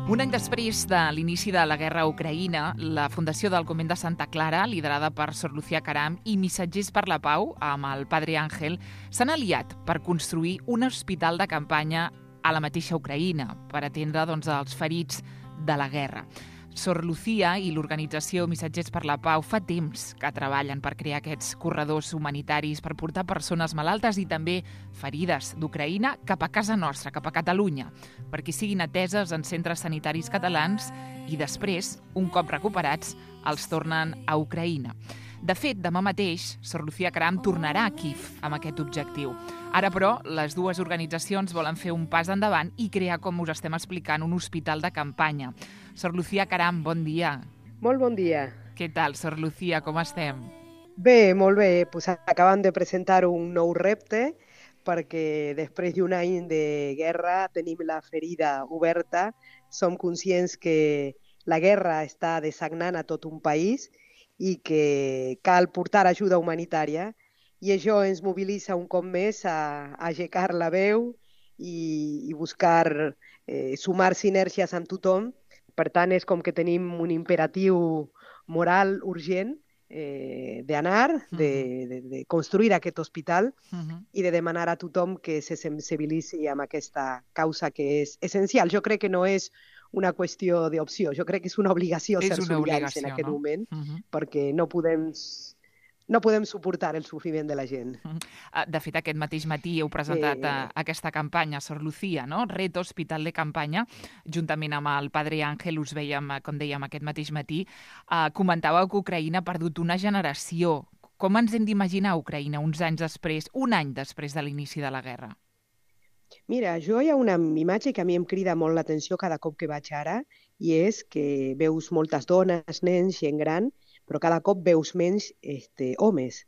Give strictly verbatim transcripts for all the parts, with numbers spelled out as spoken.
Un any després de l'inici de la guerra a Ucraïna, la Fundació del Convent de Santa Clara, liderada per Sor Lucía Caram, i Missatgers per la Pau, amb el Padre Ángel, s'han aliat per construir un hospital de campanya a la mateixa Ucraïna, per atendre doncs, els ferits de la guerra. Sor Lucía i l'organització Missatgers per la Pau fa temps que treballen per crear aquests corredors humanitaris per portar persones malaltes i també ferides d'Ucraïna cap a casa nostra, cap a Catalunya, perquè siguin ateses en centres sanitaris catalans i després, un cop recuperats, els tornen a Ucraïna. De fet, demà mateix, Sor Lucía Caram tornarà a Kíev amb aquest objectiu. Ara, però, les dues organitzacions volen fer un pas endavant i crear, com us estem explicant, un hospital de campanya. Sor Lucía Caram, bon dia. Molt bon dia. Què tal, Sor Lucía, com estem? Bé, molt bé. Pues acabem de presentar un nou repte perquè després d'un any de guerra tenim la ferida oberta. Som conscients que la guerra està dessagnant a tot un país i que cal portar ajuda humanitària, i això ens mobilitza un cop més a, a aixecar la veu i, i buscar eh, sumar sinergies amb tothom. Per tant, és com que tenim un imperatiu moral urgent eh, d'anar, de, de, de construir aquest hospital uh-huh. i de demanar a tothom que se sensibilitzi amb aquesta causa que és essencial. Jo crec que no és una qüestió d'opció. Jo crec que és una obligació és ser una solidaris en aquest no? moment, uh-huh. perquè no podem, no podem suportar el sofriment de la gent. Uh-huh. De fet, aquest mateix matí heu presentat eh... aquesta campanya, Sor Lucía, no? Reto Hospital de Campanya, juntament amb el Padre Ángel, us veiem, com dèiem, aquest mateix matí. Uh, comentàveu que Ucraïna ha perdut una generació. Com ens hem d'imaginar Ucraïna uns anys després, un any després de l'inici de la guerra? Mira, jo hi ha una imatge que a mi em crida molt l'atenció cada cop que vaig ara, i és que veus moltes dones, nens, gent gran, però cada cop veus menys este, homes,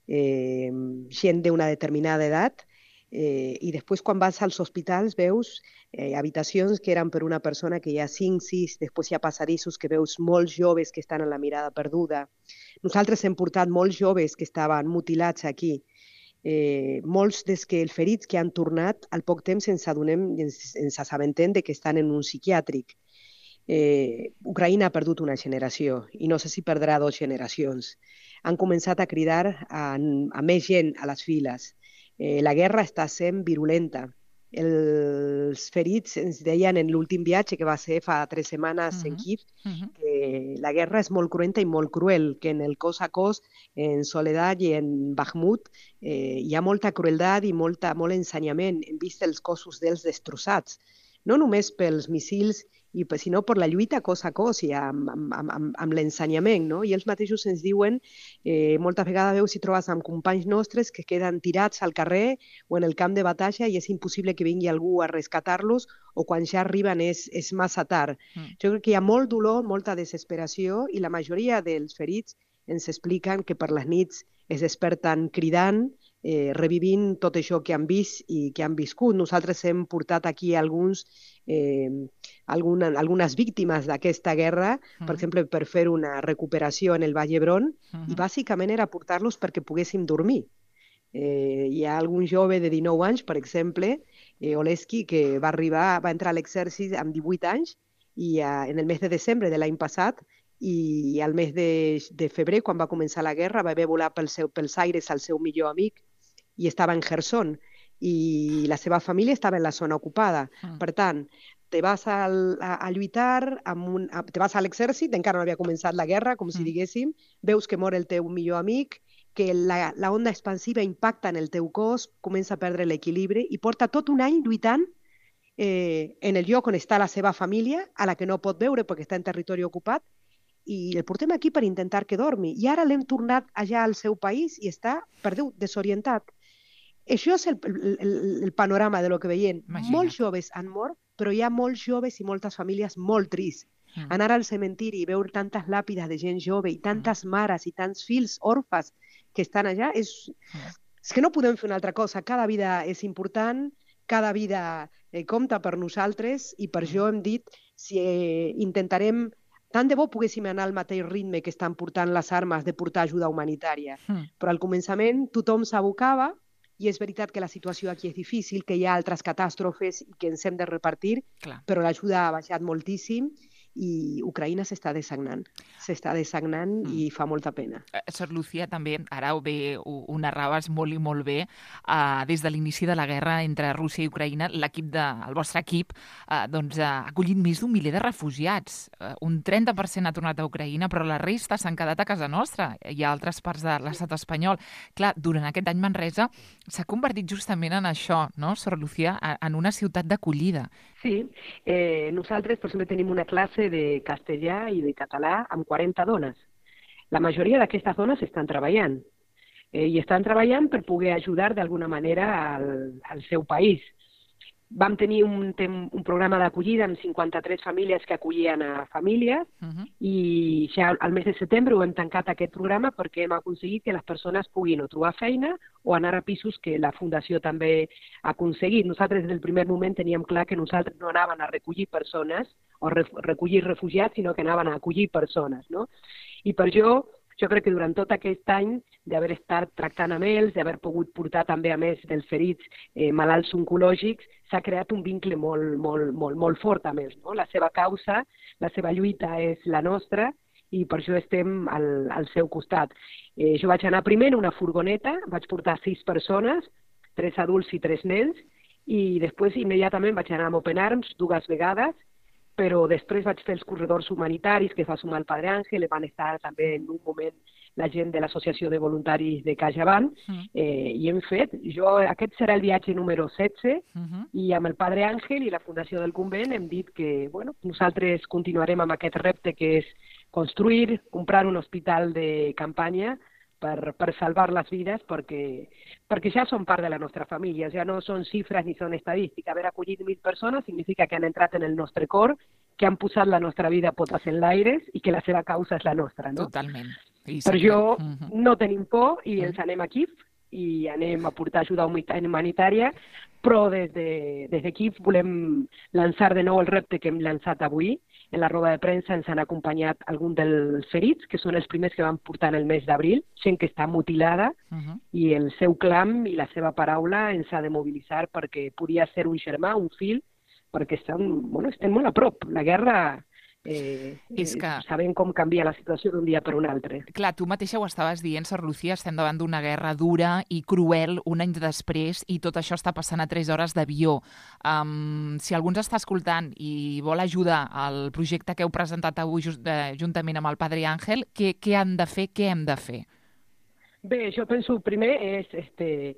eh, gent d'una determinada edat, eh, i després quan vas als hospitals veus eh, habitacions que eren per una persona que hi ha cinc, sis, després hi ha passadissos que veus molts joves que estan en la mirada perduda. Nosaltres hem portat molts joves que estaven mutilats aquí. Eh, molts dels que els ferits que han tornat al poc temps ens adonem, ens, ens assabentem de que estan en un psiquiàtric. Eh, Ucraïna ha perdut una generació i no sé si perdrà dues generacions. Han començat a cridar a, a més gent a les files. Eh, la guerra està sent virulenta. Els ferits ens deien en l'últim viatge, que va ser fa tres setmanes uh-huh. en Kíev, uh-huh. que la guerra és molt cruenta i molt cruel, que en el cos a cos, en Soledad i en Bakhmut, eh, hi ha molta crueltat i molta, molt ensenyament. Hem vist els cossos dels destrossats, no només pels missils, i, sinó per la lluita cos a cos i amb, amb, amb, amb l'ensenyament. No? I ells mateixos ens diuen, eh, moltes vegades veus si trobes amb companys nostres que queden tirats al carrer o en el camp de batalla i és impossible que vingui algú a rescatar-los, o quan ja arriben és, és massa tard. Mm. Jo crec que hi ha molt dolor, molta desesperació, i la majoria dels ferits ens expliquen que per les nits es desperten cridant, eh, revivint tot això que han vist i que han viscut. Nosaltres hem portat aquí alguns Eh, alguna, algunes víctimes d'aquesta guerra, uh-huh. per exemple, per fer una recuperació en el Vall d'Hebron, uh-huh. i bàsicament era portar-los perquè poguéssim dormir. Eh, hi ha algun jove de dinou anys, per exemple, eh, Oleski, que va arribar, va entrar a l'exèrcit amb divuit anys i eh, en el mes de desembre de l'any passat, i al mes de, de febrer, quan va començar la guerra, va haver volar pel seu, pels aires el seu millor amic i estava en Kherson, i la seva família estava en la zona ocupada. Mm. Per tant, te vas a, a, a lluitar, amb un, a, te vas a l'exèrcit, encara no havia començat la guerra, com si mm. diguéssim, veus que mor el teu millor amic, que la, la onda expansiva impacta en el teu cos, comença a perdre l'equilibri i porta tot un any lluitant eh, en el lloc on està la seva família, a la que no pot veure perquè està en territori ocupat, i el portem aquí per intentar que dormi. I ara l'hem tornat allà al seu país i està perdut, desorientat. Això és el, el, el panorama de lo que veiem. Imagina't. Molts joves han mort, però hi ha molts joves i moltes famílies molt tristes. Mm. Anar al cementiri i veure tantes làpides de gent jove i tantes mm. mares i tants fills orfes que estan allà, és, mm. és que no podem fer una altra cosa. Cada vida és important, cada vida eh, compta per nosaltres, i per mm. això hem dit si eh, intentarem, tant de bo poguéssim anar al mateix ritme que estan portant les armes de portar ajuda humanitària. Mm. Però al començament tothom s'abocava i és veritat que la situació aquí és difícil, que hi ha altres catàstrofes i que ens hem de repartir, Clar. però l'ajuda ha baixat moltíssim i Ucraïna s'està dessagnant. S'està dessagnant mm. i fa molta pena. Eh, Sor Lucía, també, ara ho, bé, ho, ho narraves molt i molt bé, eh, des de l'inici de la guerra entre Rússia i Ucraïna, l'equip de, el vostre equip eh, doncs, ha acollit més d'un miler de refugiats. Eh, un trenta per cent ha tornat a Ucraïna, però la resta s'han quedat a casa nostra i a altres parts de l'estat espanyol. Clar, durant aquest any Manresa s'ha convertit justament en això, no, Sor Lucía, en una ciutat d'acollida. Sí, eh, nosaltres, per exemple, tenim una classe de castellà i de català amb quaranta dones. La majoria d'aquestes dones estan treballant eh, i estan treballant per poder ajudar d'alguna manera al, al seu país. Vam tenir un, un programa d'acollida amb cinquanta-tres famílies que acollien a famílies uh-huh. i ja al mes de setembre ho hem tancat aquest programa perquè hem aconseguit que les persones puguin o trobar feina o anar a pisos que la Fundació també ha aconseguit. Nosaltres des del primer moment teníem clar que nosaltres no anaven a recollir persones o re, recollir refugiats, sinó que anaven a acollir persones, no? I per això jo crec que durant tot aquest any d'haver estat tractant amb ells, d'haver pogut portar també a més dels ferits eh, malalts oncològics, s'ha creat un vincle molt, molt, molt, molt fort amb ells, no? La seva causa, la seva lluita és la nostra i per això estem al, al seu costat. Eh, jo vaig anar primer en una furgoneta, vaig portar sis persones, tres adults i tres nens, i després immediatament vaig anar amb Open Arms dues vegades, però després vaig fer els corredors humanitaris que es va sumar el Padre Ángel, van estar també en un moment la gent de l'Associació de Voluntaris de CaixaBank, mm. eh, i hem fet, jo, aquest serà el viatge número setze, uh-huh. i amb el Padre Ángel i la Fundació del Convent hem dit que bueno, nosaltres continuarem amb aquest repte que és construir, comprar un hospital de campanya per, per salvar les vides, perquè, perquè ja són part de la nostra família, ja no són xifres ni són estadístiques. Haver acollit mil persones significa que han entrat en el nostre cor, que han posat la nostra vida potes en l'aires i que la seva causa és la nostra, no? Totalment. I per això uh-huh. no tenim por i ens anem aquí i anem a portar ajuda humanitària, però des de, des d'aquí volem lançar de nou el repte que hem lançat avui. En la roda de premsa ens han acompanyat alguns dels ferits, que són els primers que van portar en el mes d'abril, gent que està mutilada, uh-huh. i el seu clam i la seva paraula ens ha de mobilitzar perquè podia ser un germà, un fill, perquè estan, bueno, estem molt a prop. La guerra... Eh, és que... eh, sabem com canvia la situació d'un dia per un altre. Clar, tu mateixa ho estaves dient, Sor Lucía, estem davant d'una guerra dura i cruel un any després i tot això està passant a tres hores d'avió. Um, si algú ens està escoltant i vol ajudar al projecte que heu presentat avui just, eh, juntament amb el Padre Ángel, què, què han de fer, què hem de fer? Bé, jo penso primer és este,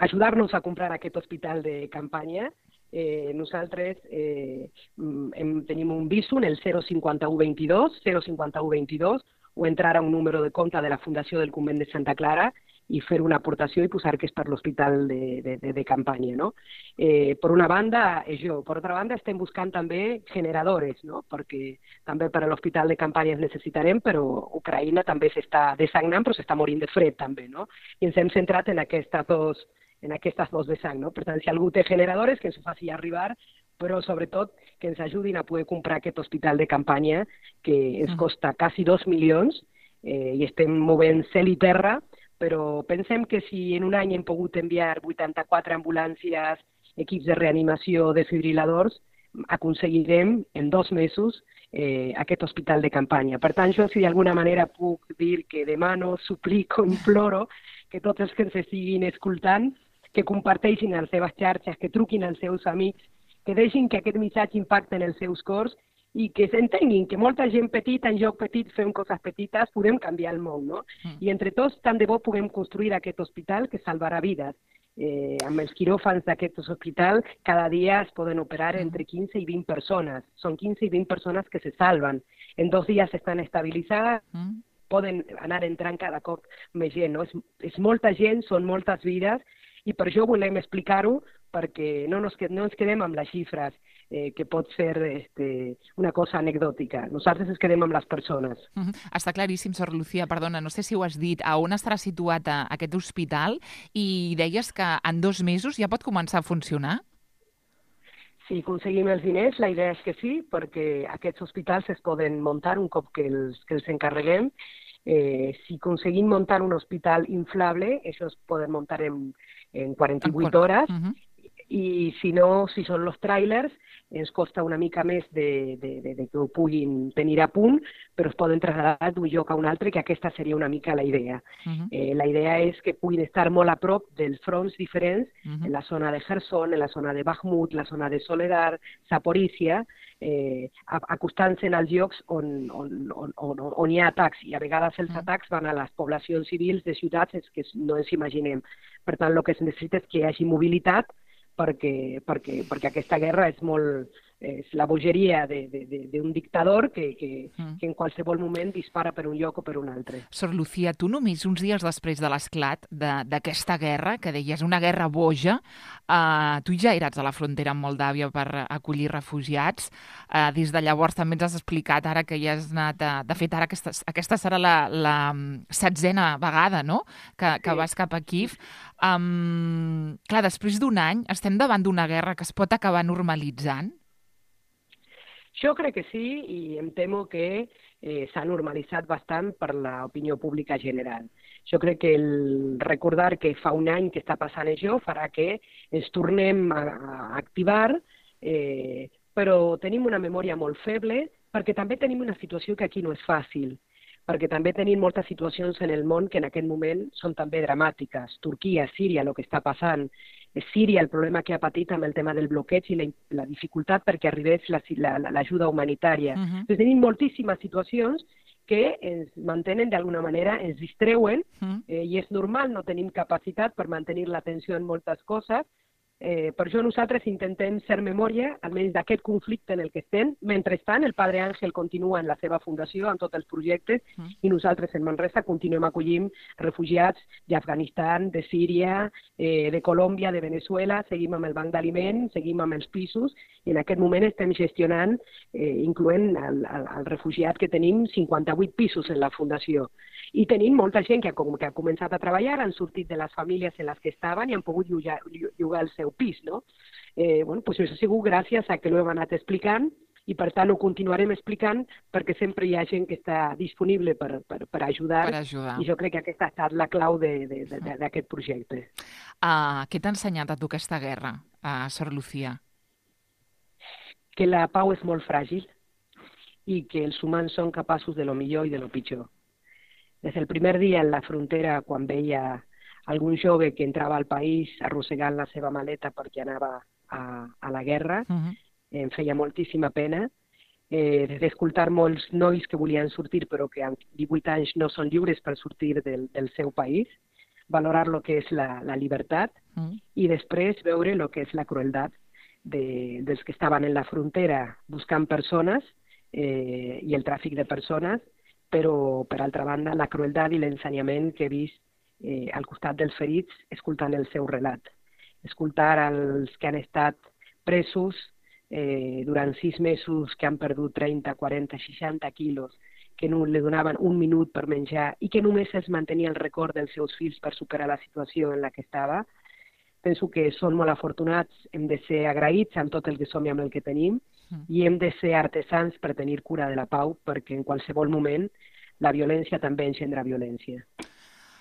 ajudar-nos a comprar aquest hospital de campanya. Eh, nosaltres eh, hem, tenim un Bizum, el zero cinquanta u vint-i-dos, zero cinquanta u vint-i-dos, o entrar a un número de compte de la Fundació del Convent de Santa Clara i fer una aportació i posar que és per l'hospital de, de, de, de campanya, no? Eh, per una banda, és jo. Per altra banda, estem buscant també generadores, no? Perquè també per a l'hospital de campanya es necessitarem, però Ucraïna també s'està dessagnant, però s'està morint de fred també, no? I ens hem centrat en aquestes dos en aquestes dos vessants, no? Per tant, si algú té generadores, que ens ho faci arribar, però sobretot que ens ajudin a poder comprar aquest hospital de campanya que ens costa quasi dos milions eh, i estem movent cel i terra, però pensem que si en un any hem pogut enviar vuitanta-quatre ambulàncies, equips de reanimació, desfibriladors, aconseguirem en dos mesos eh, aquest hospital de campanya. Per tant, jo si d'alguna manera puc dir que demano, suplico, imploro que tots els que ens estiguin escoltant que comparteixin les seves xarxes, que truquin als seus amics, que deixin que aquest missatge impacte en els seus cors i que s'entenguin que molta gent petita, en joc petit, fem coses petites, podem canviar el món, no? Mm. I entre tots, tant de bo puguem construir aquest hospital que salvarà vides. Eh, amb els quiròfans d'aquest hospital, cada dia es poden operar entre quinze i vint persones. Són quinze i vint persones que se salven. En dos dies estan estabilitzades, mm. poden anar entrant cada cop més gent, no? És, és molta gent, són moltes vides, i per això volem explicar-ho, perquè no, nos, no ens quedem amb les xifres, eh, que pot ser este, una cosa anecdòtica. Nosaltres ens quedem amb les persones. Uh-huh. Està claríssim, Sor Lucía, perdona, no sé si ho has dit, a on estarà situat a, aquest hospital, i deies que en dos mesos ja pot començar a funcionar? Si aconseguim els diners, la idea és que sí, perquè aquests hospitals es poden muntar un cop que els, que els encarreguem. Eh, si aconseguim muntar un hospital inflable, això es poden muntar en, en quaranta-vuit hores, uh -huh. i si no, si són els tràilers, ens costa una mica més de, de, de, de que ho puguin tenir a punt, però es poden traslladar d'un lloc a un altre, que aquesta seria una mica la idea. Uh -huh. eh, la idea és que puguin estar molt a prop dels fronts diferents, uh -huh. en la zona de Kherson, en la zona de Bakhmut, la zona de Soledar, Zaporizhia, eh, acostant-se als llocs on, on, on, on, on hi ha atacs, i a vegades els uh -huh. atacs van a les poblacions civils de ciutats que no ens imaginem. Per tant, el que es necessita és que hi hagi mobilitat, perquè, perquè, perquè aquesta guerra és molt és la bogeria d'un dictador que, que, mm. que en qualsevol moment dispara per un lloc o per un altre. Sor Lucía, tu només uns dies després de l'esclat d'aquesta guerra, que deies una guerra boja, eh, tu ja eres a la frontera amb Moldàvia per acollir refugiats. Eh, des de llavors també ens has explicat ara que ja has anat... A, de fet, ara aquesta, aquesta serà la, la setzena vegada, no?, que, que sí. vas cap a Kíev. Um, clar, després d'un any estem davant d'una guerra que es pot acabar normalitzant? Jo crec que sí, i em temo que eh, s'ha normalitzat bastant per l'opinió pública general. Jo crec que el recordar que fa un any que està passant això farà que ens tornem a, a activar, eh, però tenim una memòria molt feble, perquè també tenim una situació que aquí no és fàcil, perquè també tenim moltes situacions en el món que en aquest moment són també dramàtiques. Turquia, Síria, el que està passant, Síria, el problema que ha patit amb el tema del bloqueig i la, la dificultat perquè arribés l'ajuda humanitària. Uh-huh. Doncs tenim moltíssimes situacions que ens mantenen d'alguna manera, ens distreuen, uh-huh. eh, i és normal, no tenim capacitat per mantenir l'atenció en moltes coses. Eh, per això nosaltres intentem ser memòria, almenys d'aquest conflicte en el que estem. Mentrestant, el Padre Ángel continua en la seva fundació, amb tots els projectes, mm. i nosaltres en Manresa continuem acollint refugiats d'Afganistan, de Síria, eh, de Colòmbia, de Venezuela, seguim amb el banc d'aliments, seguim amb els pisos, i en aquest moment estem gestionant, eh, incloent el, el, el refugiat que tenim, cinquanta-vuit pisos en la fundació. I tenim molta gent que ha, que ha començat a treballar, han sortit de les famílies en les que estaven i han pogut llogar, llogar el seu pis, no? Eh, bueno, pues això ha sigut gràcies a que l'hem anat explicant, i per tant ho continuarem explicant perquè sempre hi ha gent que està disponible per, per, per, ajudar, per ajudar, i jo crec que aquesta ha estat la clau d'aquest projecte. Uh, què t'ha ensenyat a tu aquesta guerra, uh, Sor Lucía? Que la pau és molt fràgil i que els humans són capaços de lo millor i de lo pitjor. Des del primer dia en la frontera, quan veia algun jove que entrava al país arrossegant la seva maleta perquè anava a, a la guerra, uh-huh. em feia moltíssima pena. Eh, d'escoltar molts nois que volien sortir però que amb divuit anys no són lliures per sortir del, del seu país, valorar el que és la, la llibertat, uh-huh. i després veure el que és la crueltat de, dels que estaven en la frontera buscant persones eh, i el tràfic de persones, però, per altra banda, la crueltat i l'ensenyament que he vist eh, al costat dels ferits, escoltant el seu relat. Escoltar els que han estat presos eh, durant sis mesos, que han perdut trenta, quaranta, seixanta quilos, que no li donaven un minut per menjar i que només es mantenia el record dels seus fills per superar la situació en la que estava. Penso que són molt afortunats, hem de ser agraïts amb tot el que som i amb el que tenim, mm. i hem de ser artesans per tenir cura de la pau, perquè en qualsevol moment la violència també engendra violència.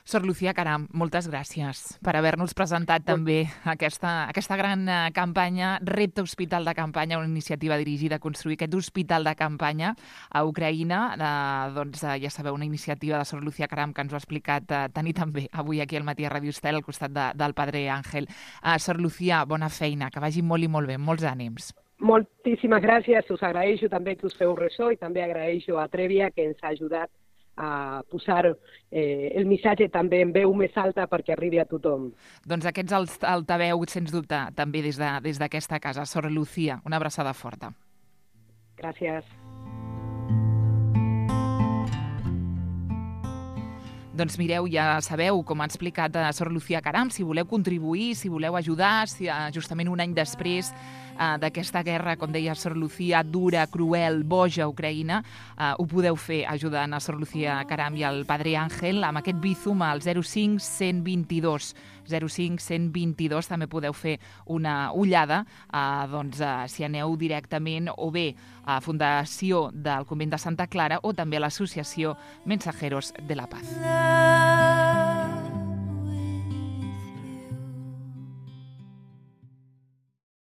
Sor Lucía Caram, moltes gràcies per haver-nos presentat també aquesta, aquesta gran campanya, Repte Hospital de Campanya, una iniciativa dirigida a construir aquest hospital de campanya a Ucraïna. Eh, doncs ja sabeu, una iniciativa de Sor Lucía Caram que ens ho ha explicat eh, Tani també avui aquí al Matí a Ràdio Estel al costat de, del Padre Ángel. Eh, Sor Lucía, bona feina, que vagi molt i molt bé, molts ànims. Moltíssimes gràcies, us agraeixo també que us feu ressò i també agraeixo a Trèvia que ens ha ajudat a posar eh, el missatge també en veu més alta perquè arribi a tothom. Doncs aquests alt, altaveu, sens dubte, també des de, des d'aquesta casa. Sor Lucía, una abraçada forta. Gràcies. Doncs mireu, ja sabeu, com ha explicat a Sor Lucía Caram, si voleu contribuir, si voleu ajudar, si justament un any després eh, d'aquesta guerra, com deia Sor Lucía, dura, cruel, boja a Ucraïna, eh, ho podeu fer ajudant a Sor Lucía Caram i al Padre Ángel amb aquest Bizum al zero cinc cent vint-i-dos. zero cinc cent vint-i-dos, també podeu fer una ullada, eh, doncs, eh, si aneu directament o bé a Fundació del Convent de Santa Clara o també a l'Associació Mensajeros de la Paz.